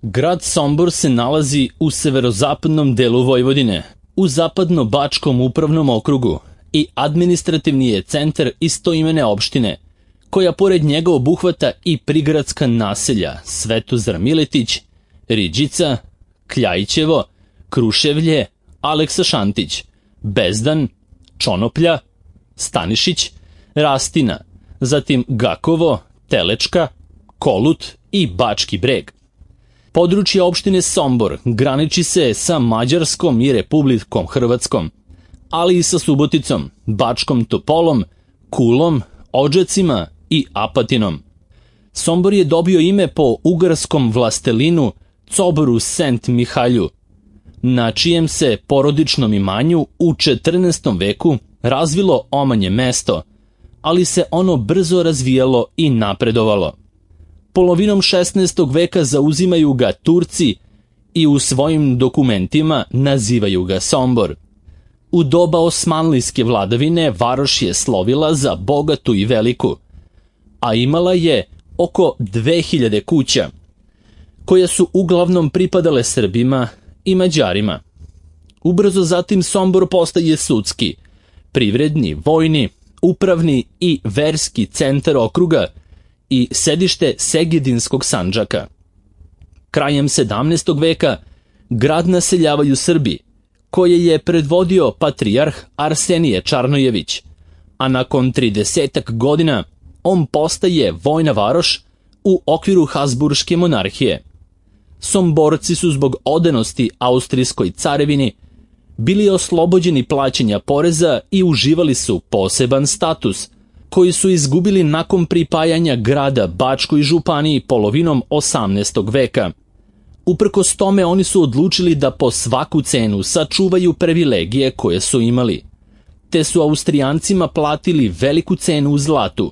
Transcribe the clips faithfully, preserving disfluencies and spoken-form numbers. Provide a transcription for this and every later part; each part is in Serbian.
Grad Sombor se nalazi u severozapadnom delu Vojvodine, u zapadno-bačkom upravnom okrugu i administrativni je centar istoimene opštine, koja pored njega obuhvata i prigradska naselja Svetozar Miletić, Riđica, Kljajićevo, Kruševlje, Aleksa Šantić, Bezdan, Čonoplja, Stanišić, Rastina, zatim Gakovo, Telečka, Kolut i Bački Breg. Područje opštine Sombor graniči se sa Mađarskom i Republikom Hrvatskom, ali i sa Suboticom, Bačkom Topolom, Kulom, Odžacima i Apatinom. Sombor je dobio ime po ugarskom vlastelinu Coboru Sent Mihalju, na čijem se porodičnom imanju u četrnaestom veku razvilo omanje mesto, ali se ono brzo razvijalo i napredovalo. Polovinom šesnaestog veka zauzimaju ga Turci i u svojim dokumentima nazivaju ga Sombor. U doba osmanlijske vladavine varoš je slovila za bogatu i veliku, a imala je oko dve hiljade kuća, koje su uglavnom pripadale Srbima i Mađarima. Ubrzo zatim Sombor postaje sudski, privredni, vojni, upravni i verski centar okruga i sedište Segedinskog Sandžaka. Krajem sedamnaestog veka grad naseljavaju Srbi, koje je predvodio patrijarh Arsenije Čarnojević, a nakon tridesetak godina on postaje vojna varoš u okviru Habsburške monarhije. Somborci su zbog odanosti Austrijskoj carevini bili oslobođeni plaćanja poreza i uživali su poseban status, koji su izgubili nakon pripajanja grada Bačkoj županiji polovinom osamnaestog veka. Uprkos tome oni su odlučili da po svaku cenu sačuvaju privilegije koje su imali, te su Austrijancima platili veliku cenu u zlatu,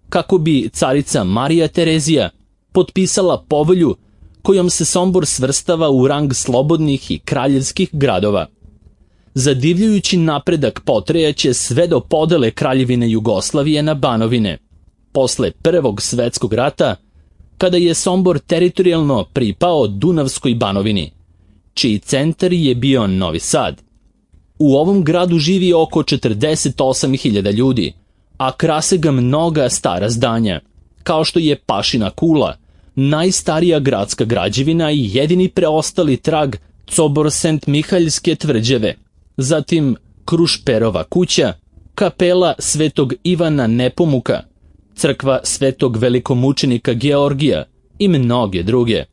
kako bi carica Marija Terezija potpisala povelju kojom se Sombor svrstava u rang slobodnih i kraljevskih gradova. Zadivljujući napredak potrajaće sve do podele Kraljevine Jugoslavije na Banovine, posle Prvog svetskog rata, kada je Sombor teritorijalno pripao Dunavskoj Banovini, čiji centar je bio Novi Sad. U ovom gradu živi oko četrdeset osam hiljada ljudi, a krase ga mnoga stara zdanja, kao što je Pašina kula, najstarija gradska građevina i jedini preostali trag Cobor Sent Mihaljske tvrđave, zatim Krušperova kuća, kapela Svetog Ivana Nepomuka, crkva Svetog velikomučenika Georgija i mnoge druge.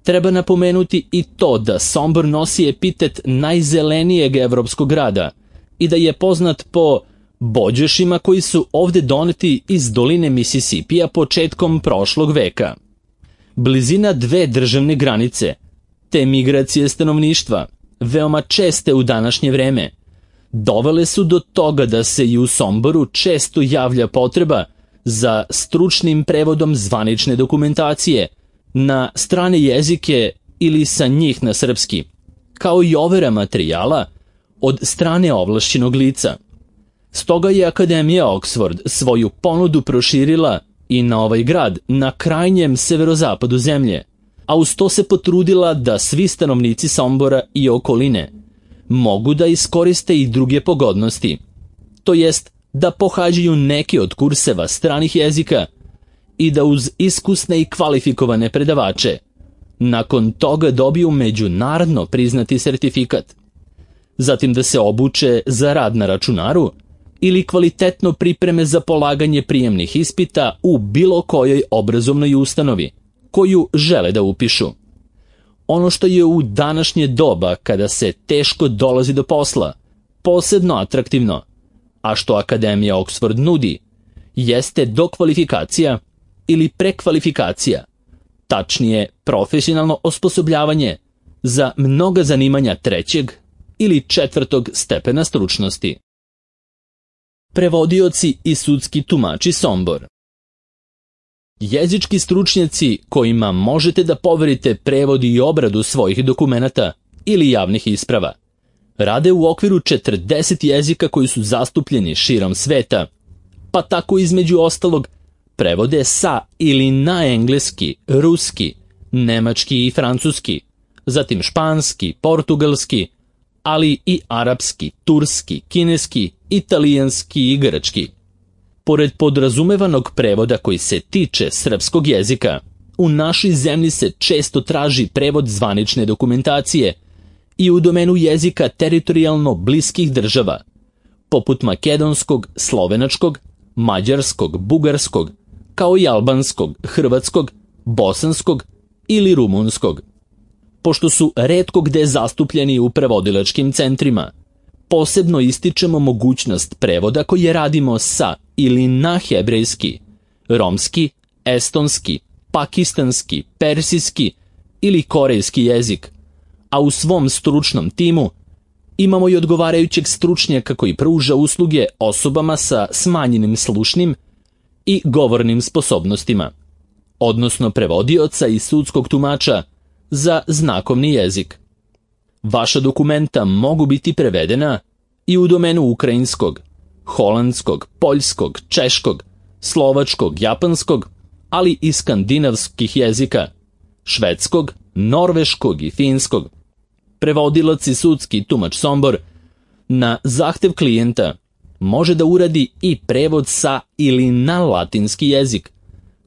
Treba napomenuti i to da Sombor nosi epitet najzelenijeg evropskog grada i da je poznat po bođešima koji su ovde doneti iz doline Misisipija početkom prošlog veka. Blizina dve državne granice, te migracije stanovništva, veoma česte u današnje vreme, dovele su do toga da se i u Somboru često javlja potreba za stručnim prevodom zvanične dokumentacije na strane jezike ili sa njih na srpski, kao i overa materijala od strane ovlašćenog lica. Stoga je Akademija Oxford svoju ponudu proširila i na ovaj grad na krajnjem severozapadu zemlje, a uz to se potrudila da svi stanovnici Sombora i okoline mogu da iskoriste i druge pogodnosti, to jest da pohađaju neke od kurseva stranih jezika i da uz iskusne i kvalifikovane predavače nakon toga dobiju međunarodno priznati sertifikat, zatim da se obuče za rad na računaru ili kvalitetno pripreme za polaganje prijemnih ispita u bilo kojoj obrazovnoj ustanovi koju žele da upišu. Ono što je u današnje doba, kada se teško dolazi do posla, posebno atraktivno, a što Akademija Oxford nudi, jeste dokvalifikacija ili prekvalifikacija, tačnije profesionalno osposobljavanje za mnoga zanimanja trećeg ili četvrtog stepena stručnosti. Prevodioci i sudski tumači Sombor. Jezički stručnjaci kojima možete da poverite prevod i obradu svojih dokumenata ili javnih isprava rade u okviru četrdeset jezika koji su zastupljeni širom sveta, pa tako između ostalog prevode sa ili na engleski, ruski, nemački i francuski, zatim španski, portugalski, ali i arapski, turski, kineski, italijanski i grčki. Pored podrazumevanog prevoda koji se tiče srpskog jezika, u našoj zemlji se često traži prevod zvanične dokumentacije i u domenu jezika teritorijalno bliskih država, poput makedonskog, slovenačkog, mađarskog, bugarskog, kao i albanskog, hrvatskog, bosanskog ili rumunskog. Pošto su retko gde zastupljeni u prevodilačkim centrima, posebno ističemo mogućnost prevoda koje radimo sa ili na hebrejski, romski, estonski, pakistanski, persijski ili korejski jezik, a u svom stručnom timu imamo i odgovarajućeg stručnjaka koji pruža usluge osobama sa smanjenim slušnim i govornim sposobnostima, odnosno prevodioca i sudskog tumača za znakovni jezik. Vaša dokumenta mogu biti prevedena i u domenu ukrajinskog, holandskog, poljskog, češkog, slovačkog, japanskog, ali i skandinavskih jezika, švedskog, norveškog i finskog. Prevodilac i sudski tumač Sombor na zahtev klijenta može da uradi i prevod sa ili na latinski jezik,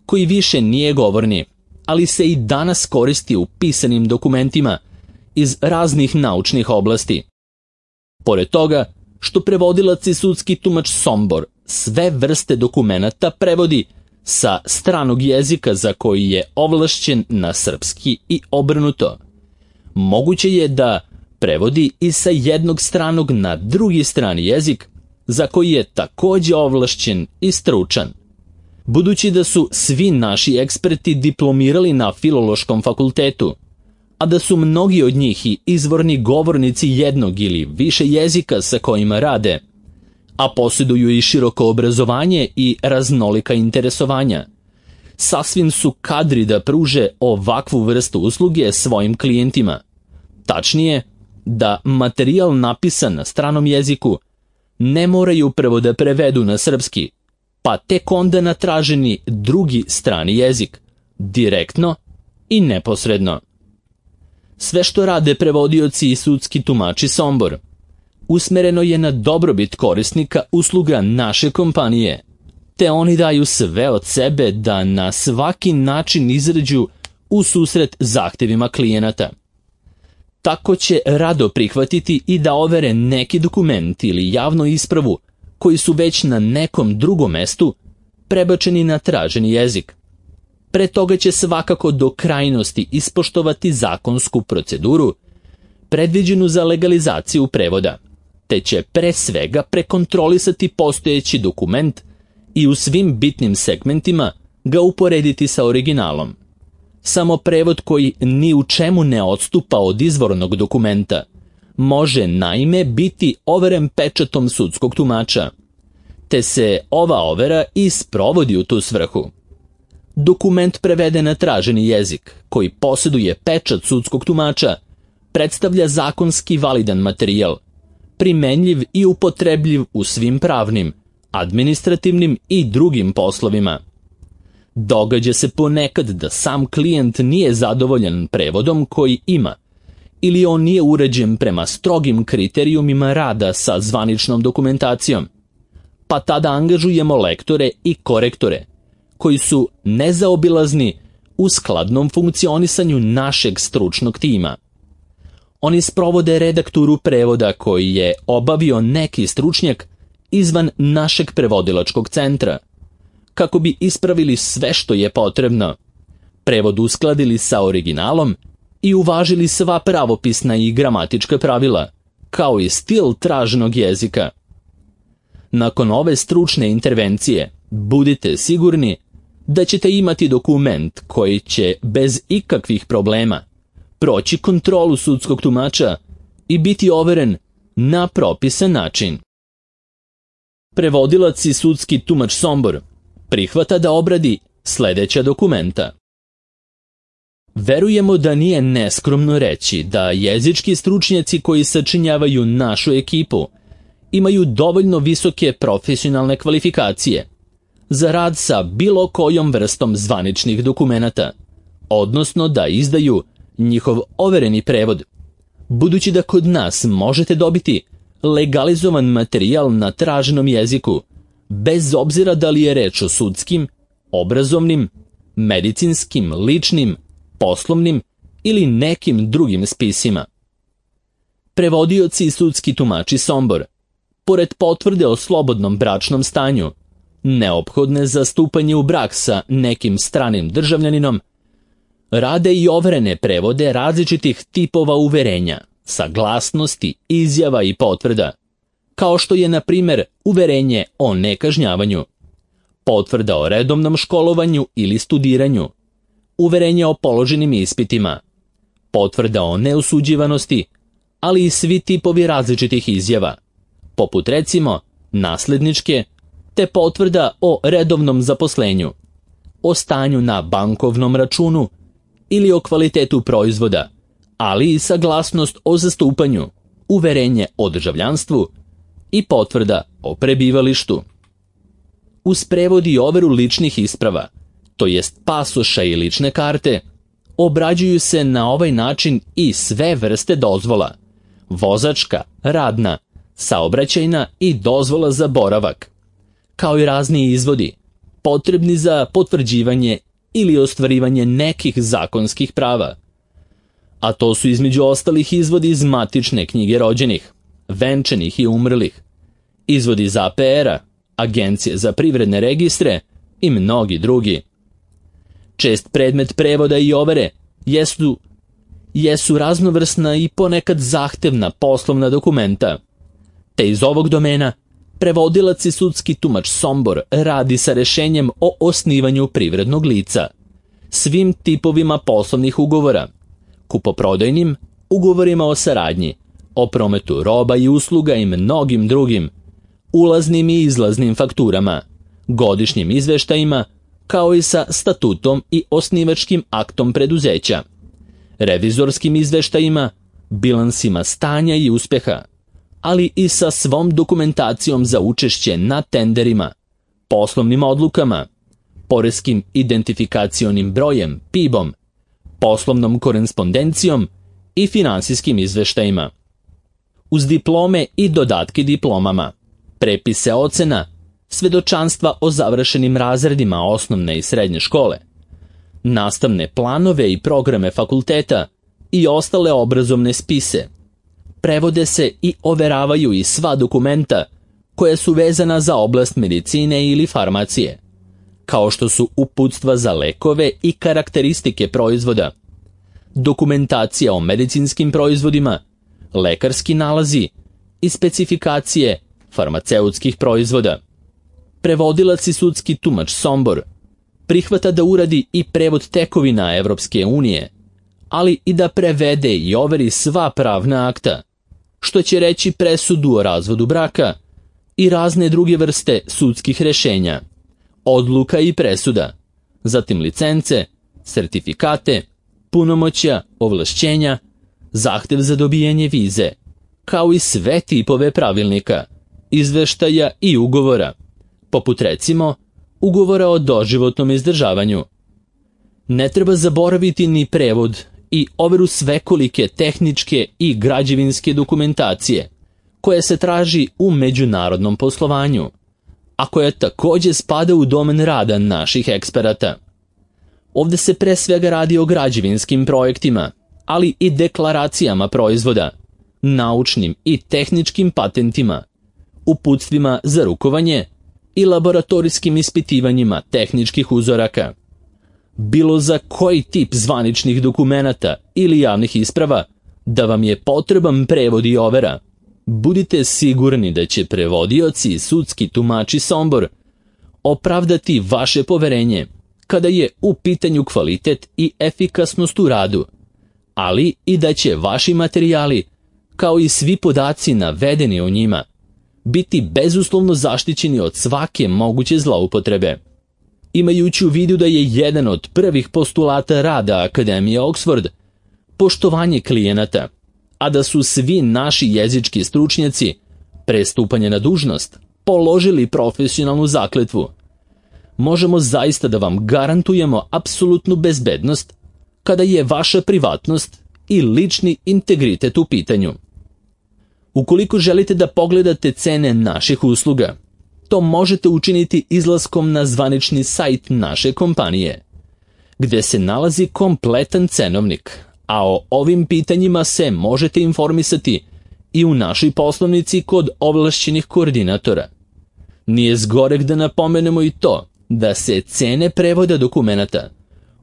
koji više nije govorni, ali se i danas koristi u pisanim dokumentima iz raznih naučnih oblasti. Pored toga, što prevodilac i sudski tumač Sombor sve vrste dokumenata prevodi sa stranog jezika za koji je ovlašćen na srpski i obrnuto, moguće je da prevodi i sa jednog stranog na drugi strani jezik za koji je takođe ovlašćen i stručan. Budući da su svi naši eksperti diplomirali na Filološkom fakultetu, a da su mnogi od njih i izvorni govornici jednog ili više jezika sa kojima rade, a posjeduju i široko obrazovanje i raznolika interesovanja, sasvim su kadri da pruže ovakvu vrstu usluge svojim klijentima. Tačnije, da materijal napisan na stranom jeziku ne moraju prvo da prevedu na srpski, pa tek onda na traženi drugi strani jezik, direktno i neposredno. Sve što rade prevodioci i sudski tumači Sombor usmereno je na dobrobit korisnika usluga naše kompanije, te oni daju sve od sebe da na svaki način izađu u susret zahtevima klijenata. Tako će rado prihvatiti i da overe neki dokument ili javnu ispravu koji su već na nekom drugom mestu prebačeni na traženi jezik. Pre toga će svakako do krajnosti ispoštovati zakonsku proceduru predviđenu za legalizaciju prevoda, te će pre svega prekontrolisati postojeći dokument i u svim bitnim segmentima ga uporediti sa originalom. Samo prevod koji ni u čemu ne odstupa od izvornog dokumenta može naime biti overen pečatom sudskog tumača, te se ova overa i sprovodi u tu svrhu. Dokument preveden na traženi jezik, koji posjeduje pečat sudskog tumača, predstavlja zakonski validan materijal, primenljiv i upotrebljiv u svim pravnim, administrativnim i drugim poslovima. Događa se ponekad da sam klijent nije zadovoljan prevodom koji ima, ili on nije uređen prema strogim kriterijumima rada sa zvaničnom dokumentacijom, pa tada angažujemo lektore i korektore, koji su nezaobilazni u skladnom funkcionisanju našeg stručnog tima. Oni sprovode redakturu prevoda koji je obavio neki stručnjak izvan našeg prevodilačkog centra, kako bi ispravili sve što je potrebno, prevod uskladili sa originalom i uvažili sva pravopisna i gramatička pravila, kao i stil traženog jezika. Nakon ove stručne intervencije, budite sigurni da ćete imati dokument koji će bez ikakvih problema proći kontrolu sudskog tumača i biti overen na propisan način. Prevodilac i sudski tumač Sombor prihvata da obradi sledeća dokumenta. Verujemo da nije neskromno reći da jezički stručnjaci koji sačinjavaju našu ekipu imaju dovoljno visoke profesionalne kvalifikacije za rad sa bilo kojom vrstom zvaničnih dokumenata, odnosno da izdaju njihov overeni prevod, budući da kod nas možete dobiti legalizovan materijal na traženom jeziku, bez obzira da li je reč o sudskim, obrazovnim, medicinskim, ličnim, poslovnim ili nekim drugim spisima. Prevodioci i sudski tumači Sombor, pored potvrde o slobodnom bračnom stanju, neophodne za stupanje u brak sa nekim stranim državljaninom, rade i overene prevode različitih tipova uverenja, saglasnosti, izjava i potvrda, kao što je, na primjer, uverenje o nekažnjavanju, potvrda o redovnom školovanju ili studiranju, uverenje o položenim ispitima, potvrda o neosuđivanosti, ali i svi tipovi različitih izjava, poput recimo nasledničke, te potvrda o redovnom zaposlenju, o stanju na bankovnom računu ili o kvalitetu proizvoda, ali i saglasnost o zastupanju, uverenje o državljanstvu i potvrda o prebivalištu. Uz prevod i overu ličnih isprava, to jest pasoša i lične karte, obrađuju se na ovaj način i sve vrste dozvola: vozačka, radna, saobraćajna i dozvola za boravak, kao i razni izvodi, potrebni za potvrđivanje ili ostvarivanje nekih zakonskih prava. A to su između ostalih izvodi iz matične knjige rođenih, venčanih i umrlih, izvodi iz A P R-a, Agencije za privredne registre i mnogi drugi. Čest predmet prevoda i overe jesu, jesu raznovrsna i ponekad zahtevna poslovna dokumenta, te iz ovog domena prevodilac i sudski tumač Sombor radi sa rešenjem o osnivanju privrednog lica, svim tipovima poslovnih ugovora, kupoprodajnim, ugovorima o saradnji, o prometu roba i usluga i mnogim drugim, ulaznim i izlaznim fakturama, godišnjim izveštajima, kao i sa statutom i osnivačkim aktom preduzeća, revizorskim izveštajima, bilansima stanja i uspeha, ali i sa svom dokumentacijom za učešće na tenderima, poslovnim odlukama, poreskim identifikacionim brojem, P I B-om, poslovnom korespondencijom i finansijskim izveštajima. Uz diplome i dodatke diplomama, prepise ocena, svedočanstva o završenim razredima osnovne i srednje škole, nastavne planove i programe fakulteta i ostale obrazovne spise, prevode se i overavaju i sva dokumenta koja su vezana za oblast medicine ili farmacije, kao što su uputstva za lekove i karakteristike proizvoda, dokumentacija o medicinskim proizvodima, lekarski nalazi i specifikacije farmaceutskih proizvoda. Prevodilac i sudski tumač Sombor prihvata da uradi i prevod tekovina Evropske unije, ali i da prevede i overi sva pravna akta, što će reći presudu o razvodu braka i razne druge vrste sudskih rešenja, odluka i presuda, zatim licence, sertifikate, punomoćja, ovlašćenja, zahtev za dobijanje vize, kao i sve tipove pravilnika, izveštaja i ugovora, poput recimo ugovora o doživotnom izdržavanju. Ne treba zaboraviti ni prevod i overu svekolike tehničke i građevinske dokumentacije, koja se traži u međunarodnom poslovanju, a koja također spada u domen rada naših eksperata. Ovde se pre svega radi o građevinskim projektima, ali i deklaracijama proizvoda, naučnim i tehničkim patentima, uputstvima za rukovanje i laboratorijskim ispitivanjima tehničkih uzoraka. Bilo za koji tip zvaničnih dokumenata ili javnih isprava da vam je potreban prevod i overa, budite sigurni da će prevodioci i sudski tumači Sombor opravdati vaše poverenje kada je u pitanju kvalitet i efikasnost u radu, ali i da će vaši materijali, kao i svi podaci navedeni u njima, biti bezuslovno zaštićeni od svake moguće zloupotrebe. Imajući u vidu da je jedan od prvih postulata rada Akademije Oxford poštovanje klijenata, a da su svi naši jezički stručnjaci pre stupanja na dužnost položili profesionalnu zakletvu, možemo zaista da vam garantujemo apsolutnu bezbednost kada je vaša privatnost i lični integritet u pitanju. Ukoliko želite da pogledate cene naših usluga, to možete učiniti izlaskom na zvanični sajt naše kompanije, gde se nalazi kompletan cenovnik, a o ovim pitanjima se možete informisati i u našoj poslovnici kod ovlašćenih koordinatora. Nije zgoreg da napomenemo i to da se cene prevoda dokumenata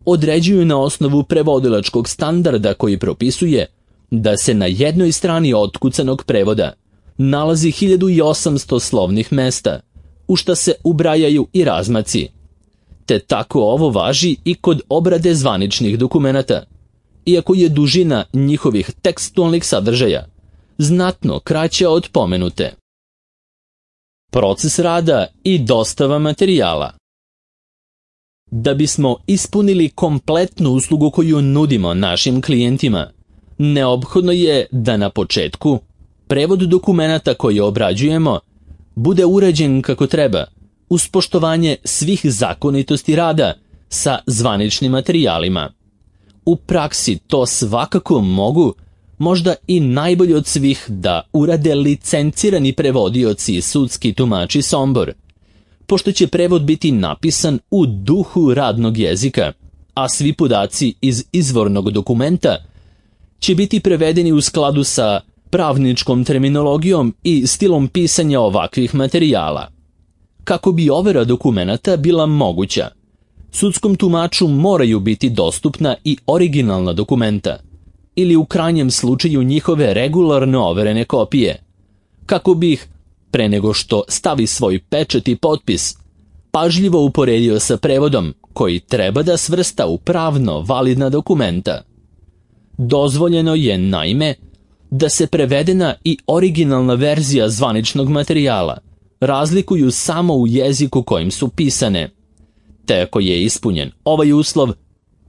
određuju na osnovu prevodilačkog standarda koji propisuje da se na jednoj strani otkucanog prevoda nalazi hiljadu osamsto slovnih mesta, u šta se ubrajaju i razmaci. Te tako ovo važi i kod obrade zvaničnih dokumenata, iako je dužina njihovih tekstualnih sadržaja znatno kraća od pomenute. Proces rada i dostava materijala. Da bismo ispunili kompletnu uslugu koju nudimo našim klijentima, neophodno je da na početku prevod dokumenata koje obrađujemo bude urađen kako treba, uz poštovanje svih zakonitosti rada sa zvaničnim materijalima. U praksi to svakako mogu, možda i najbolje od svih, da urade licencirani prevodioci i sudski tumači Sombor, pošto će prevod biti napisan u duhu radnog jezika, a svi podaci iz izvornog dokumenta će biti prevedeni u skladu sa pravničkom terminologijom i stilom pisanja ovakvih materijala. Kako bi overa dokumenata bila moguća, sudskom tumaču moraju biti dostupna i originalna dokumenta, ili u krajnjem slučaju njihove regularno overene kopije, kako bi ih, pre nego što stavi svoj pečat i potpis, pažljivo uporedio sa prevodom koji treba da svrsta u pravno validna dokumenta. Dozvoljeno je, naime, da se prevedena i originalna verzija zvaničnog materijala razlikuju samo u jeziku kojim su pisane. Te ako je ispunjen ovaj uslov,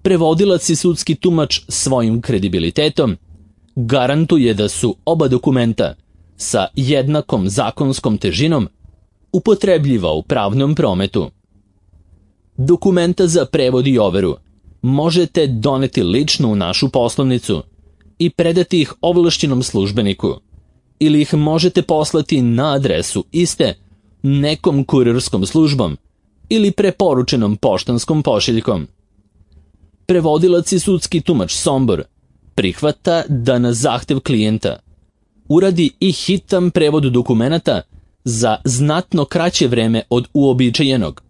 prevodilac i sudski tumač svojim kredibilitetom garantuje da su oba dokumenta sa jednakom zakonskom težinom upotrebljiva u pravnom prometu. Dokumenta za prevod i overu možete doneti lično u našu poslovnicu i predati ih ovlašćenom službeniku, ili ih možete poslati na adresu iste nekom kurirskom službom ili preporučenom poštanskom pošiljkom. Prevodilac i sudski tumač Sombor prihvata da na zahtev klijenta uradi i hitan prevod dokumenata za znatno kraće vreme od uobičajenog,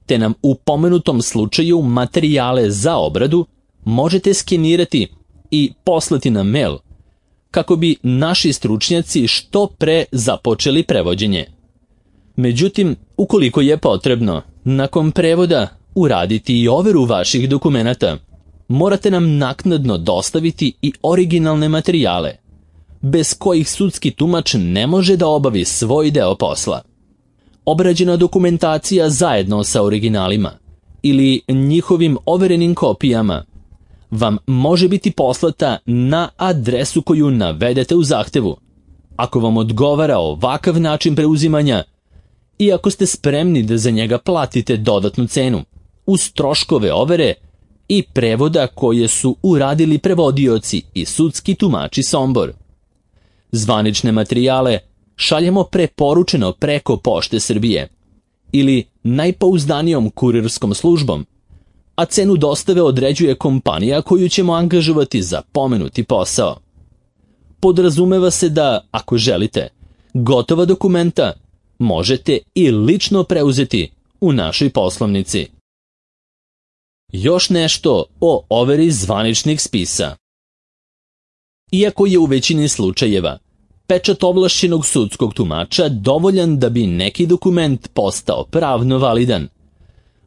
te nam u pomenutom slučaju materijale za obradu možete skenirati i poslati na mail, kako bi naši stručnjaci što pre započeli prevođenje. Međutim, ukoliko je potrebno, nakon prevoda uraditi i overu vaših dokumenata, morate nam naknadno dostaviti i originalne materijale, bez kojih sudski tumač ne može da obavi svoj deo posla. Obrađena dokumentacija zajedno sa originalima ili njihovim overenim kopijama vam može biti poslata na adresu koju navedete u zahtevu, ako vam odgovara ovakav način preuzimanja i ako ste spremni da za njega platite dodatnu cenu, uz troškove overe i prevoda koje su uradili prevodioci i sudski tumači Sombor. Zvanične materijale šaljemo preporučeno preko Pošte Srbije ili najpouzdanijom kurirskom službom, a cenu dostave određuje kompanija koju ćemo angažovati za pomenuti posao. Podrazumeva se da, ako želite, gotova dokumenta možete i lično preuzeti u našoj poslovnici. Još nešto o overi zvaničnih spisa. Iako je u većini slučajeva pečat ovlašćenog sudskog tumača dovoljan da bi neki dokument postao pravno validan,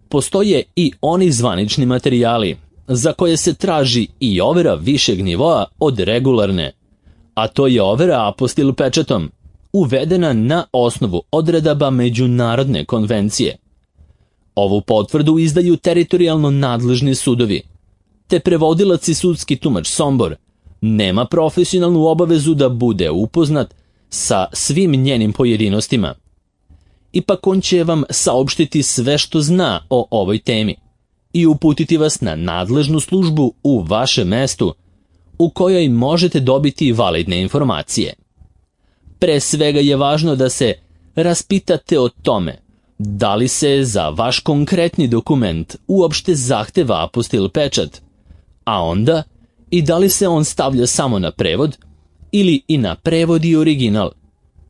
postoje i oni zvanični materijali za koje se traži i overa višeg nivoa od regularne, a to je overa apostil pečatom, uvedena na osnovu odredaba međunarodne konvencije. Ovu potvrdu izdaju teritorijalno nadležni sudovi, te prevodilac i sudski tumač Sombor nema profesionalnu obavezu da bude upoznat sa svim njenim pojedinostima. Ipak on će vam saopštiti sve što zna o ovoj temi i uputiti vas na nadležnu službu u vašem mestu u kojoj možete dobiti validne informacije. Pre svega je važno da se raspitate o tome da li se za vaš konkretni dokument uopšte zahteva apostil pečat, a onda i da li se on stavlja samo na prevod ili i na prevod i original,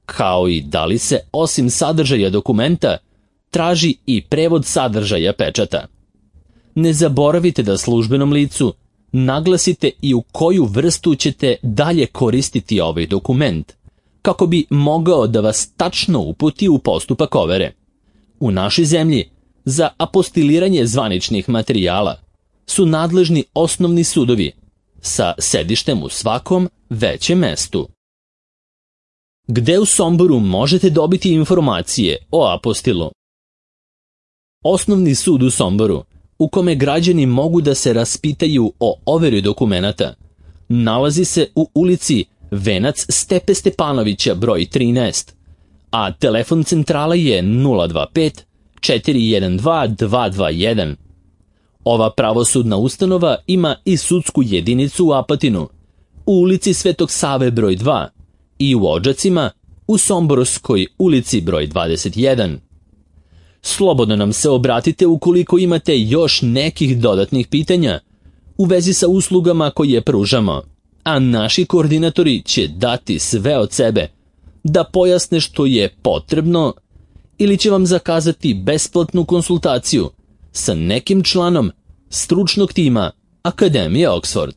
kao i da li se osim sadržaja dokumenta traži i prevod sadržaja pečata. Ne zaboravite da službenom licu naglasite i u koju vrstu ćete dalje koristiti ovaj dokument, kako bi mogao da vas tačno uputi u postupak overe. U našoj zemlji za apostiliranje zvaničnih materijala su nadležni osnovni sudovi sa sedištem u svakom većem mestu. Gde u Somboru možete dobiti informacije o apostilu? Osnovni sud u Somboru, u kome građani mogu da se raspitaju o overi dokumenata, nalazi se u ulici Venac Stepe Stepanovića broj trinaest, a telefon centrala je nula dva pet četiri jedan dva dva dva jedan. Ova pravosudna ustanova ima i sudsku jedinicu u Apatinu, u ulici Svetog Save broj dva i u Odžacima u Somborskoj ulici broj dvadeset jedan. Slobodno nam se obratite ukoliko imate još nekih dodatnih pitanja u vezi sa uslugama koje pružamo, a naši koordinatori će dati sve od sebe da pojasne što je potrebno ili će vam zakazati besplatnu konsultaciju sa nekim članom stručnog tima Akademije Oxford.